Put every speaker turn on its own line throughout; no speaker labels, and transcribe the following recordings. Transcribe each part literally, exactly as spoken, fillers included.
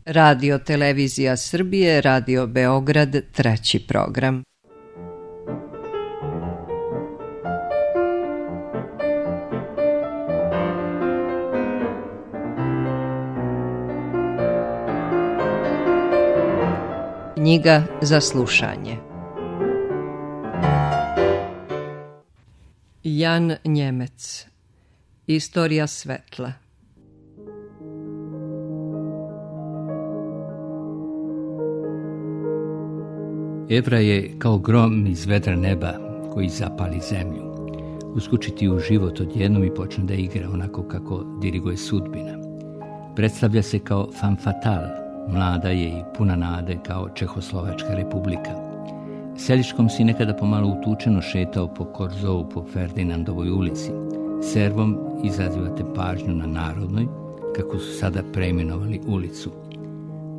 Radio Televizija Srbije, Radio Beograd, treći program. Knjiga za slušanje. Jan Njemec. Istorija svetla.
Evra je kao grom iz vedra neba koji zapali zemlju. Uskočiti u život odjednom i počne da igra onako kako diriguje sudbina. Predstavlja se kao femme fatale, mlada je i puna nade kao Čehoslovačka republika. Seljičkom si nekada pomalo utučeno šetao po Korzovu po Ferdinandovoj ulici. Servom izazivate pažnju na Narodnoj, kako su sada preimenovali ulicu.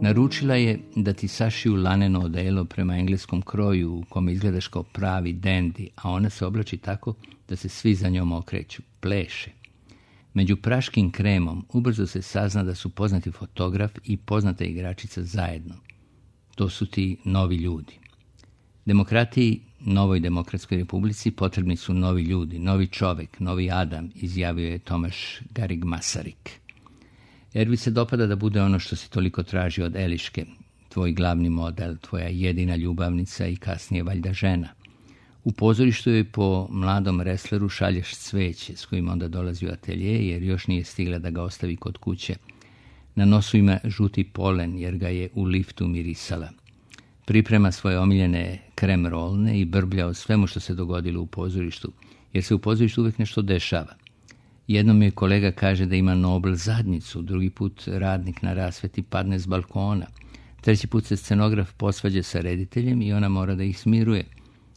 Naručila je da ti sašiju laneno odelo prema engleskom kroju u kome izgledaš kao pravi dendi, a ona se oblači tako da se svi za njom okreću, pleše. Među praškim kremom ubrzo se sazna da su poznati fotograf i poznata igračica zajedno. To su ti novi ljudi. Demokratiji, novoj demokratskoj republici, potrebni su novi ljudi, novi čovek, novi Adam, izjavio je Tomaš Garrigue Masaryk. Ervi se dopada da bude ono što si toliko traži od Eliške, tvoj glavni model, tvoja jedina ljubavnica i kasnije valjda žena. U pozorištu joj po mladom resleru šalješ cveće s kojim onda dolazi u atelje jer još nije stigla da ga ostavi kod kuće. Na nosu ima žuti polen jer ga je u liftu mirisala. Priprema svoje omiljene krem rolne i brblja o svemu što se dogodilo u pozorištu, jer se u pozorištu uvijek nešto dešava. Jednom je kolega kaže da ima Nobel zadnjicu, drugi put radnik na rasveti padne s balkona, treći put se scenograf posvađa sa rediteljem i ona mora da ih smiruje,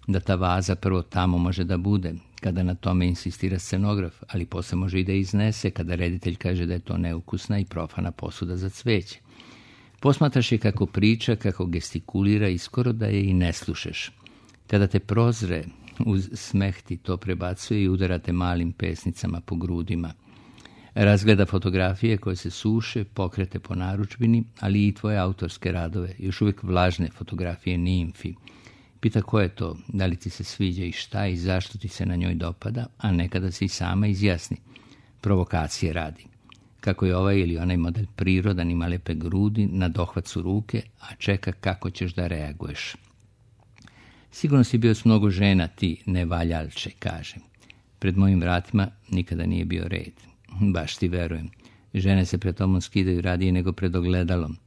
da ta vaza prvo tamo može da bude, kada na tome insistira scenograf, ali posle može i da iznese kada reditelj kaže da je to neukusna i profana posuda za cveće. Posmatraš je kako priča, kako gestikulira i skoro da je i ne slušaš. Kada te prozre, uz smeh ti to prebacuje i udarate malim pesnicama po grudima. Razgleda fotografije koje se suše, pokrete po narudžbini, ali i tvoje autorske radove, još uvijek vlažne fotografije nimfi. Pita ko je to, da li ti se sviđa i šta i zašto ti se na njoj dopada, a nekada se i sama izjasni. Provokacije radi. Kako je ovaj ili onaj model prirodan, ima lepe grudi, na dohvat su ruke, a čeka kako ćeš da reaguješ. Sigurno si bio s mnogo žena, ti nevaljalče, kaže. Pred mojim vratima nikada nije bio red. Baš ti verujem. Žene se pred tobom skidaju radije nego pred ogledalom.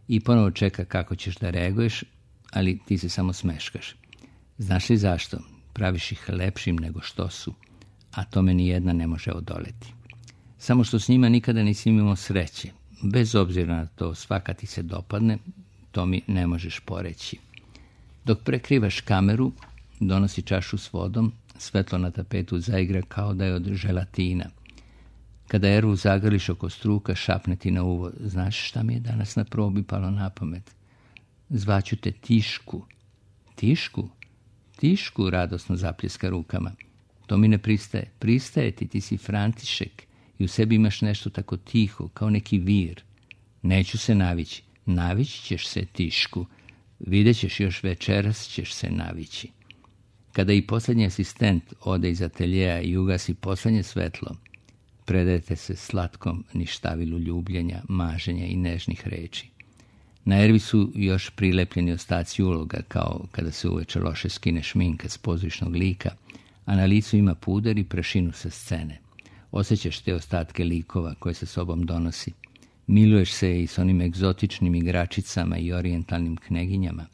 I ponovo čeka kako ćeš da reaguješ, ali ti se samo smeškaš. Znaš li zašto? Praviš ih lepšim nego što su, a tome ni jedna ne može odoleti. Samo što s njima nikada nisi imao sreće. Bez obzira na to, svaka ti se dopadne, to mi ne možeš poreći. Dok prekrivaš kameru, donosi čašu s vodom, svetlo na tapetu zaigra kao da je od želatina. Kada Ervu zagrliš oko struka, šapne ti na uvo. Znaš šta mi je danas na probi palo na pamet? Zvaću te Tišku. Tišku? Tišku, radosno zapljeska rukama. To mi ne pristaje. Pristaje ti, ti si František i u sebi imaš nešto tako tiho, kao neki vir. Neću se navići. Navići ćeš se, Tišku. Vidjet ćeš, još večeras ćeš se navići. Kada i posljednji asistent ode iz ateljeja i ugasi posljednje svetlo, predajete se slatkom ništavilu ljubljenja, maženja i nežnih reči. Na Ervi su još prilepljeni ostaci uloga, kao kada se uveče loše skine šminka s pozorišnog lika, a na licu ima puder i prašinu sa scene. Osjećaš te ostatke likova koje sa sobom donosi. Miluješ se i s onim egzotičnim igračicama i orijentalnim kneginjama.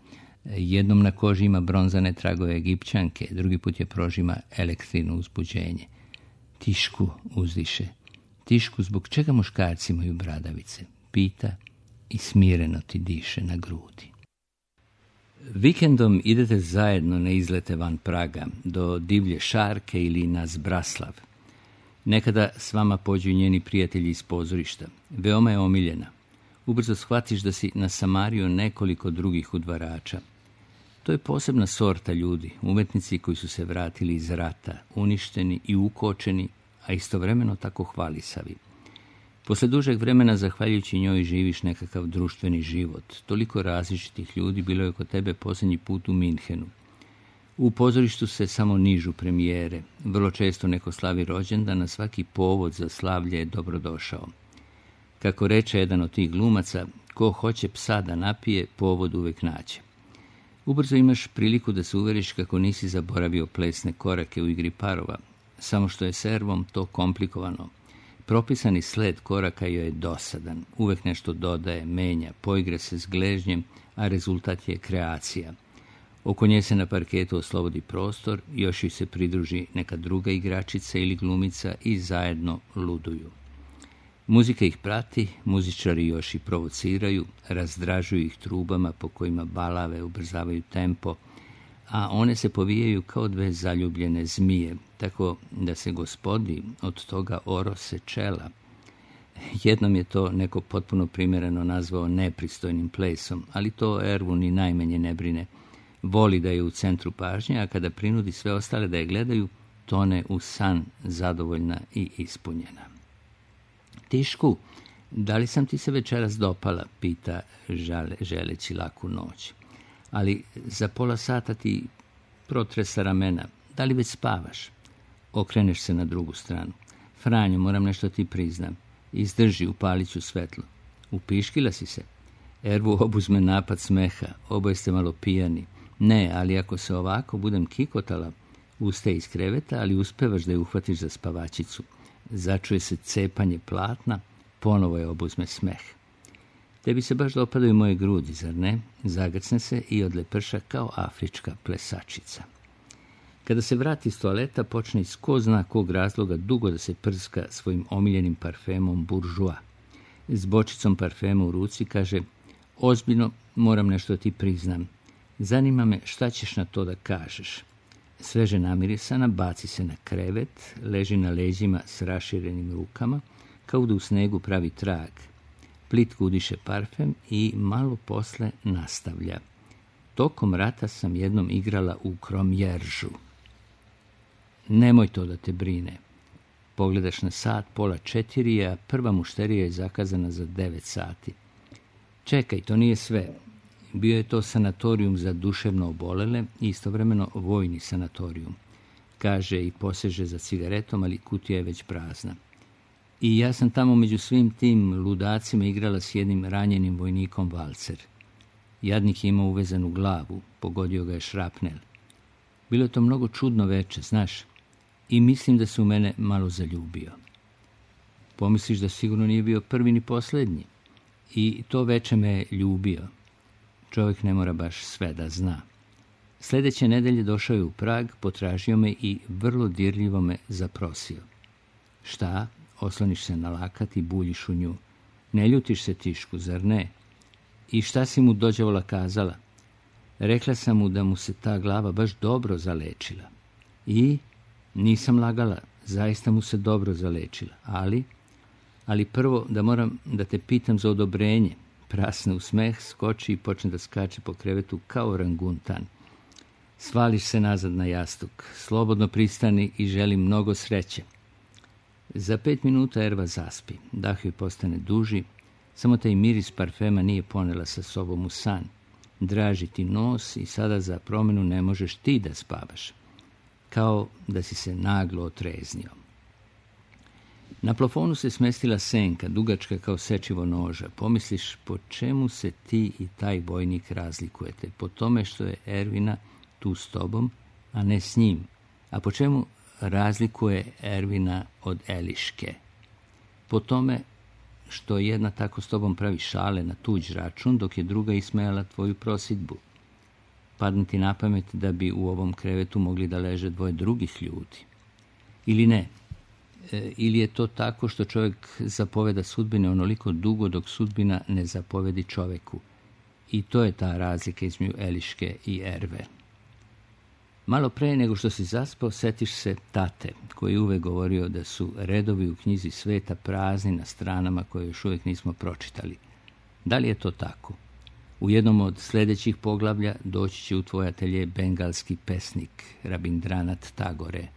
Jednom na koži ima bronzane tragove Egipćanke, drugi put je prožima elektrino uzbuđenje. Tišku, uzdiše. Tišku, zbog čega muškarci imaju bradavice? Pita i smireno ti diše na grudi. Vikendom idete zajedno na izlete van Praga, do Divlje Šarke ili na Zbraslav. Nekada s vama pođu njeni prijatelji iz pozorišta. Veoma je omiljena. Ubrzo shvatiš da si nasamario nekoliko drugih udvarača. To je posebna sorta ljudi, umetnici koji su se vratili iz rata, uništeni i ukočeni, a istovremeno tako hvalisavi. Posle dužeg vremena, zahvaljujući njoj, živiš nekakav društveni život. Toliko različitih ljudi bilo je kod tebe posljednji put u Minhenu. U pozorištu se samo nižu premijere. Vrlo često neko slavi rođendan, na svaki povod za slavlje je dobrodošao. Kako reče jedan od tih glumaca, ko hoće psa da napije, povod uvek nađe. Ubrzo imaš priliku da se uveriš kako nisi zaboravio plesne korake u igri parova, samo što je s Ervom to komplikovano. Propisani sled koraka joj je dosadan, uvek nešto dodaje, menja, poigre se s gležnjem, a rezultat je kreacija. Oko nje se na parketu oslobodi prostor, još joj se pridruži neka druga igračica ili glumica i zajedno luduju. Muzika ih prati, muzičari još i provociraju, razdražuju ih trubama po kojima balave ubrzavaju tempo, a one se povijaju kao dve zaljubljene zmije, tako da se gospodi od toga orose čela. Jednom je to neko potpuno primjereno nazvao nepristojnim plesom, ali to Ervu ni najmanje ne brine. Voli da je u centru pažnje, a kada prinudi sve ostale da je gledaju, tone u san, zadovoljna i ispunjena. Tišku, da li sam ti se večeras dopala, pita žale, želeći laku noć. Ali za pola sata ti protresa ramena. Da li već spavaš? Okreneš se na drugu stranu. Franjo, moram nešto ti priznam. Izdrži, upalit ću svetlo. Upiškila si se? Ervu obuzme napad smeha. Oboje ste malo pijani. Ne, ali ako se ovako budem kikotala, ustaje iz kreveta, ali uspevaš da je uhvatiš za spavačicu. Začuje se cepanje platna, ponovo je obuzme smeh. Tebi se baš dopadaju moje grudi, zar ne? Zagrcne se i odleprša kao afrička plesačica. Kada se vrati iz toaleta, počne iz ko zna kog razloga dugo da se prska svojim omiljenim parfemom Bourjois. S bočicom parfema u ruci kaže, ozbiljno moram nešto ti priznam. Zanima me šta ćeš na to da kažeš. Sveže namirisana, baci se na krevet, leži na leđima s raširenim rukama, kao da u snegu pravi trag. Plitko udiše parfem i malo posle nastavlja. Tokom rata sam jednom igrala u Kromjeržu. Nemoj to da te brine. Pogledaš na sat, pola četiri, a prva mušterija je zakazana za devet sati. Čekaj, to nije sve. Bio je to sanatorijum za duševno obolele i istovremeno vojni sanatorijum. Kaže i poseže za cigaretom, ali kutija je već prazna. I ja sam tamo među svim tim ludacima igrala s jednim ranjenim vojnikom valcer. Jadnik je imao uvezanu glavu, pogodio ga je šrapnel. Bilo je to mnogo čudno veče, znaš, i mislim da se u mene malo zaljubio. Pomisliš da sigurno nije bio prvi ni posljednji. I to veče me je ljubio. Čovjek ne mora baš sve da zna. Sljedeće nedelje došao je u Prag, potražio me i vrlo dirljivo me zaprosio. Šta? Osloniš se na lakat i buljiš u nju. Ne ljutiš se, Tišku, zar ne? I šta si mu dođavola kazala? Rekla sam mu da mu se ta glava baš dobro zalečila. I nisam lagala, zaista mu se dobro zalečila. Ali, ali prvo da moram da te pitam za odobrenje. Prasne u smeh, skoči i počne da skače po krevetu kao orangutan. Svališ se nazad na jastuk, slobodno pristani i želim mnogo sreće. Za pet minuta Erva zaspi, dah joj postane duži, samo taj miris parfema nije ponela sa sobom u san. Draži ti nos i sada za promjenu ne možeš ti da spavaš. Kao da si se naglo otreznio. Na plafonu se smestila senka, dugačka kao sečivo noža. Pomisliš, po čemu se ti i taj vojnik razlikujete? Po tome što je Ervina tu s tobom, a ne s njim. A po čemu razlikuje Ervina od Eliške? Po tome što jedna tako s tobom pravi šale na tuđ račun, dok je druga ismejala tvoju prosidbu. Padne ti na pamet da bi u ovom krevetu mogli da leže dvoje drugih ljudi. Ili ne? E, ili je to tako što čovjek zapoveda sudbine onoliko dugo dok sudbina ne zapovedi čovjeku. I to je ta razlika između Eliške i Erve. Malo pre nego što si zaspao, setiš se tate, koji je uvek govorio da su redovi u knjizi sveta prazni na stranama koje još uvijek nismo pročitali. Da li je to tako? U jednom od sljedećih poglavlja doći će u tvoj atelje bengalski pesnik Rabindranat Tagore.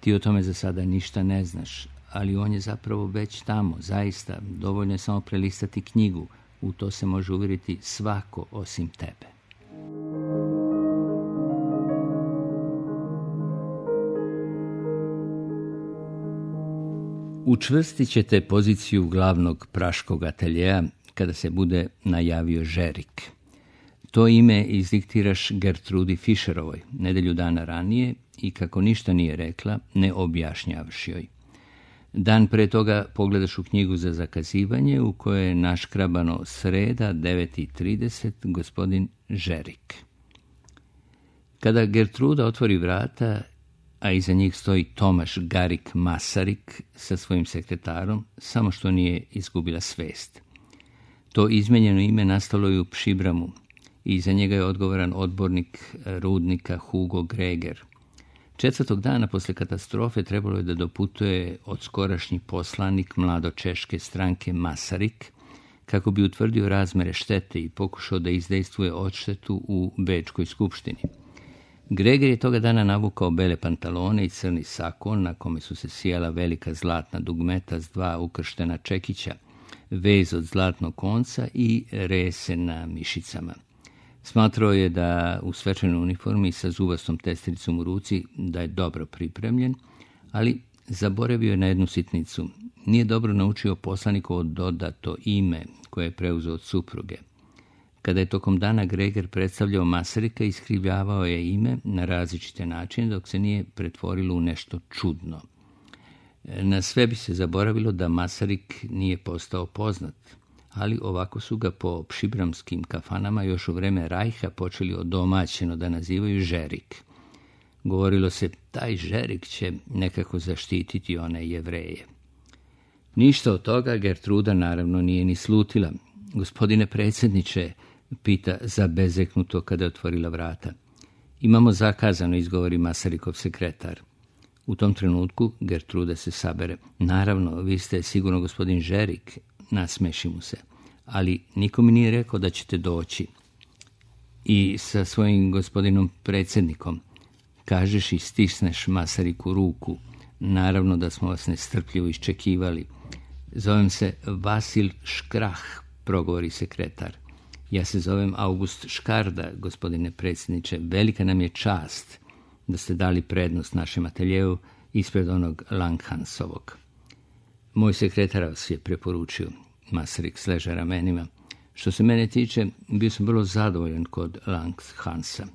Ti o tome za sada ništa ne znaš, ali on je zapravo već tamo, zaista. Dovoljno je samo prelistati knjigu. U to se može uvjeriti svako osim tebe. Učvrstit ćete poziciju glavnog praškog ateljeja kada se bude najavio Žerik. To ime izdiktiraš Gertrudi Fischerovoj nedelju dana ranije i kako ništa nije rekla, ne objašnjavaš joj. Dan pre toga pogledaš u knjigu za zakazivanje u kojoj je naškrabano sreda devet i trideset gospodin Žerik. Kada Gertruda otvori vrata, a iza njih stoji Tomaš Garik Masarik sa svojim sekretarom, samo što nije izgubila svest. To izmenjeno ime nastalo je u Pšibramu i iza njega je odgovoran odbornik rudnika Hugo Greger. Četvrtog dana posle katastrofe trebalo je da doputuje odskorašnji poslanik mladočeške stranke Masarik, kako bi utvrdio razmere štete i pokušao da izdejstvuje odštetu u Bečkoj skupštini. Greger je toga dana navukao bele pantalone i crni sakon na kome su se sijala velika zlatna dugmeta s dva ukrštena čekića, vez od zlatnog konca i rese na mišicama. Smatrao je da u svečanoj uniformi sa zubastom testericom u ruci da je dobro pripremljen, ali zaboravio je na jednu sitnicu. Nije dobro naučio poslanikovo dodato ime koje je preuzeo od supruge. Kada je tokom dana Greger predstavljao Masarika, iskrivljavao je ime na različite načine dok se nije pretvorilo u nešto čudno. Na sve bi se zaboravilo da Masarik nije postao poznat, ali ovako su ga po pšibramskim kafanama još u vreme Rajha počeli odomaćeno da nazivaju Žerik. Govorilo se, taj Žerik će nekako zaštititi one Jevreje. Ništa od toga Gertruda naravno nije ni slutila. Gospodine predsjedniče, pita zabezeknuto kada je otvorila vrata. Imamo zakazano, izgovori Masarikov sekretar. U tom trenutku Gertruda se sabere. Naravno, vi ste sigurno gospodin Žerik, nasmeši mu se, ali niko mi nije rekao da ćete doći. I sa svojim gospodinom predsjednikom kažeš i stisneš Masariku ruku. Naravno da smo vas nestrpljivo iščekivali. Zovem se Vasil Škrah, progovori sekretar. Ja se zovem August Škarda, gospodine predsjedniče. Velika nam je čast da ste dali prednost našem ateljevu ispred onog Langhansovog. Moj sekretar vas je preporučio, Masarik sleže ramenima. Što se mene tiče, bio sam vrlo zadovoljan kod Langhansa.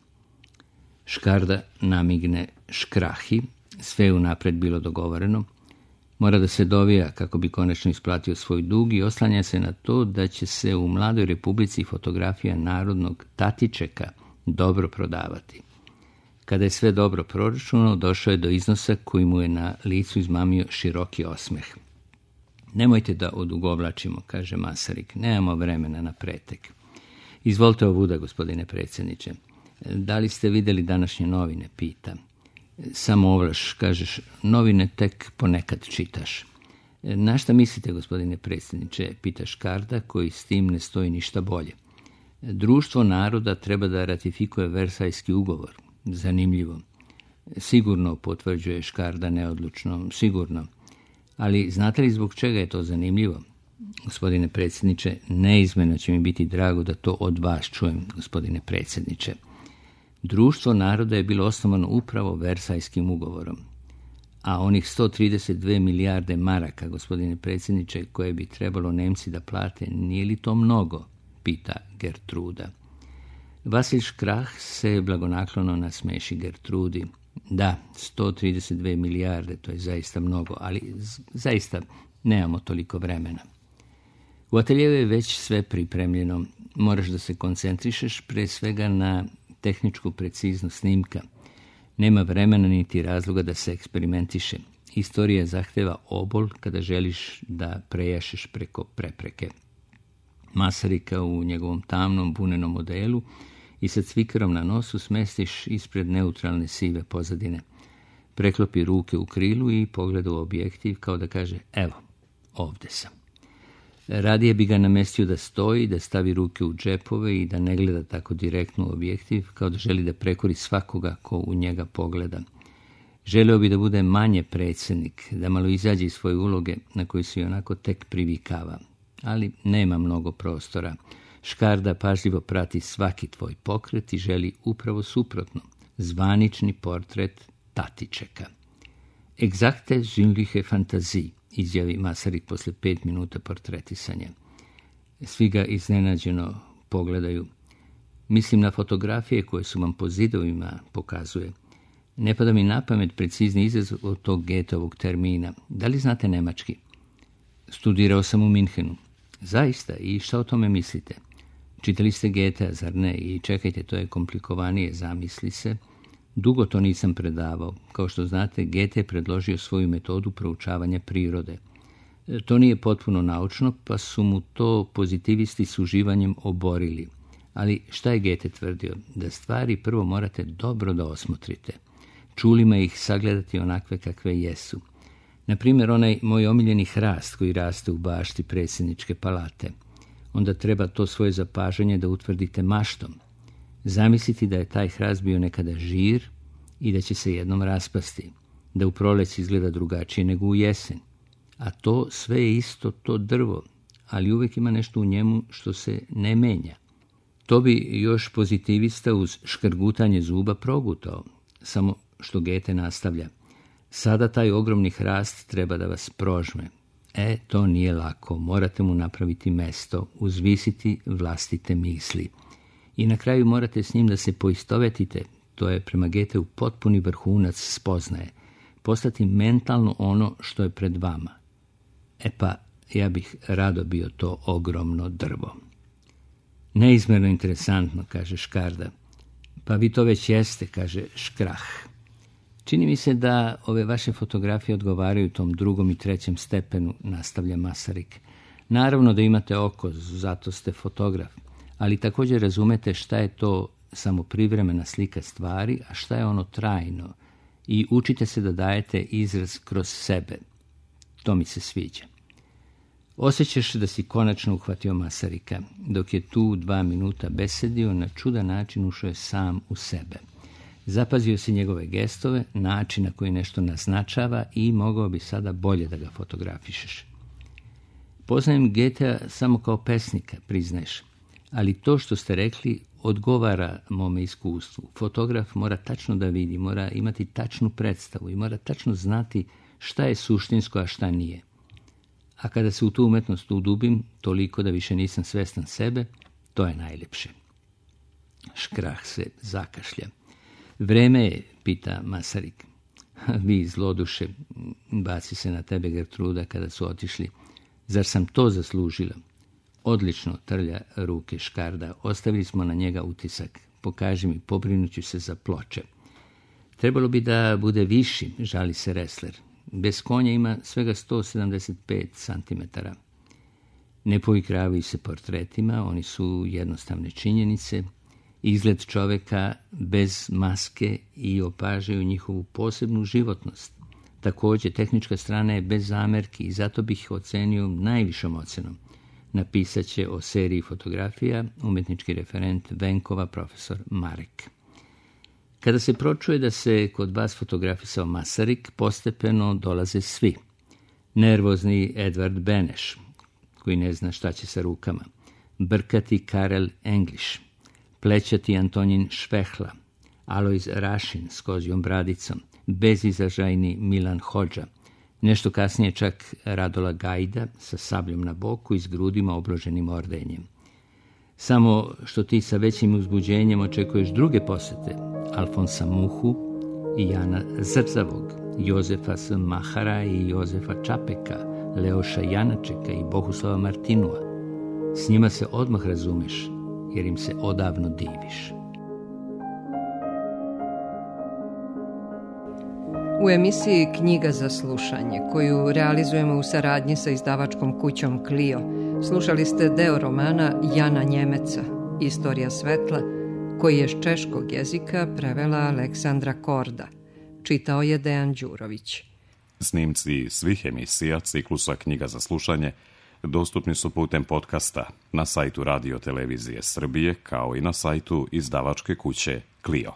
Škarda namigne Škrahi, sve je unapred bilo dogovoreno. Mora da se dovija kako bi konačno isplatio svoj dug i oslanja se na to da će se u Mladoj Republici fotografija narodnog Tatičeka dobro prodavati. Kada je sve dobro proračunao, došao je do iznosa koji mu je na licu izmamio široki osmeh. Nemojte da odugovlačimo, kaže Masarik, nemamo vremena na pretek. Izvolite ovuda, gospodine predsjedniče. Da li ste vidjeli današnje novine, pita. Samo ovlaš, kažeš, novine tek ponekad čitaš. Na šta mislite, gospodine predsjedniče, pita Škarda, koji s tim ne stoji ništa bolje. Društvo naroda treba da ratifikuje Versajski ugovor. Zanimljivo. Sigurno, potvrđuje Škarda neodlučno, sigurno. Ali znate li zbog čega je to zanimljivo? Gospodine predsjedniče, neizmjerno će mi biti drago da to od vas čujem, gospodine predsjedniče. Društvo naroda je bilo osnovano upravo Versajskim ugovorom. A onih sto trideset dve milijarde maraka, gospodine predsjedniče, koje bi trebalo Nemci da plate, nije li to mnogo? Pita Gertruda. Vasil Škrah se blagonaklono nasmeši Gertrudi. Da, sto trideset dve milijarde, to je zaista mnogo, ali zaista nemamo toliko vremena. U ateljevu je već sve pripremljeno. Moraš da se koncentrišeš pre svega na tehničku preciznost snimka. Nema vremena niti razloga da se eksperimentiše. Istorija zahteva obol kada želiš da prejašeš preko prepreke. Masarika u njegovom tamnom bunenom modelu i sa cvikarom na nosu smestiš ispred neutralne sive pozadine. Preklopi ruke u krilu i pogleda u objektiv kao da kaže, evo, ovde sam. Radije bi ga namestio da stoji, da stavi ruke u džepove i da ne gleda tako direktno u objektiv, kao da želi da prekori svakoga ko u njega pogleda. Želeo bi da bude manje predsjednik, da malo izađe iz svoje uloge na koju se onako tek privikava. Ali nema mnogo prostora. Škarda pažljivo prati svaki tvoj pokret i želi upravo suprotno, zvanični portret Tatičeka. Egzakte žinliche Fantasie, izjavi Masarik posle pet minuta portretisanja. Svi ga iznenađeno pogledaju. Mislim na fotografije koje su vam po zidovima pokazuje. Ne pada mi na pamet precizni izraz od tog Goetheovog termina. Da li znate nemački? Studirao sam u Minhenu. Zaista? I šta o tome mislite? Čitali ste Goethea, zar ne? I čekajte, to je komplikovanije, zamisli se. Dugo to nisam predavao. Kao što znate, Goethe je predložio svoju metodu proučavanja prirode. To nije potpuno naučno, pa su mu to pozitivisti s uživanjem oborili. Ali šta je Goethe tvrdio? Da stvari prvo morate dobro da osmotrite. Čulima ih sagledati onakve kakve jesu. Naprimjer, onaj moj omiljeni hrast koji raste u bašti predsjedničke palate. Onda treba to svoje zapažanje da utvrdite maštom. Zamisliti da je taj hrast bio nekada žir i da će se jednom raspasti, da u proleć izgleda drugačije nego u jesen. A to sve je isto to drvo, ali uvijek ima nešto u njemu što se ne menja. To bi još pozitivista uz škrgutanje zuba progutao, samo što Goethe nastavlja. Sada taj ogromni hrast treba da vas prožme. E, to nije lako, morate mu napraviti mesto, uzvisiti vlastite misli. I na kraju morate s njim da se poistovetite, to je prema Goetheu potpuni vrhunac spoznaje, postati mentalno ono što je pred vama. E pa, ja bih rado bio to ogromno drvo. Neizmjerno interesantno, kaže Škarda. Pa vi to već jeste, kaže Škrah. Čini mi se da ove vaše fotografije odgovaraju tom drugom i trećem stepenu, nastavlja Masarik. Naravno da imate oko, zato ste fotograf, ali također razumete šta je to samo privremena slika stvari, a šta je ono trajno, i učite se da dajete izraz kroz sebe. To mi se sviđa. Osjećaš da si konačno uhvatio Masarika. Dok je tu dva minuta besedio, na čudan način ušao je sam u sebe. Zapazio si njegove gestove, način na koji nešto naznačava i mogao bi sada bolje da ga fotografišeš. Poznajem Goethea samo kao pesnika, priznaješ, ali to što ste rekli odgovara mome iskustvu. Fotograf mora tačno da vidi, mora imati tačnu predstavu i mora tačno znati šta je suštinsko, a šta nije. A kada se u tu umetnost udubim, toliko da više nisam svestan sebe, to je najljepše. Škrah se zakašlja. Vreme je, pita Masarik. Vi, zloduše, baci se na tebe Gertruda kada su otišli. Zar sam to zaslužila? Odlično, trlja ruke Škarda. Ostavili smo na njega utisak. Pokaži mi, pobrinuću se za ploče. Trebalo bi da bude viši, žali se Ressler. Bez konja ima svega sto sedamdeset pet centimetara. Ne poigravaju se portretima, oni su jednostavne činjenice, izgled čoveka bez maske i opažaju njihovu posebnu životnost. Također, tehnička strana je bez zamerki i zato bih ocenio najvišom ocenom. Napisat će o seriji fotografija umjetnički referent Venkova, profesor Marek. Kada se pročuje da se kod vas fotografisao Masarik, postepeno dolaze svi. Nervozni Edvard Beneš, koji ne zna šta će sa rukama, brkati Karel English, plećati Antonin Švehla, Alojz Rašin s kozjom bradicom, bezizražajni Milan Hodža, nešto kasnije čak Radola Gajda sa sabljom na boku i s grudima obloženim ordenjem. Samo što ti sa većim uzbuđenjem očekuješ druge posete, Alfonsa Muhu i Jana Zrzavog, Jozefa S. Mahara i Jozefa Čapeka, Leoša Janačeka i Bohuslava Martinua. S njima se odmah razumeš, jer im se odavno diviš.
U emisiji Knjiga za slušanje, koju realizujemo u saradnji sa izdavačkom kućom Clio, slušali ste deo romana Jana Njemeca, Istorija svetla, koji je s češkog jezika prevela Aleksandra Korda. Čitao je Dejan Đurović.
Snimci svih emisija ciklusa Knjiga za slušanje dostupni su putem podcasta na sajtu Radio Televizije Srbije, kao i na sajtu izdavačke kuće Clio.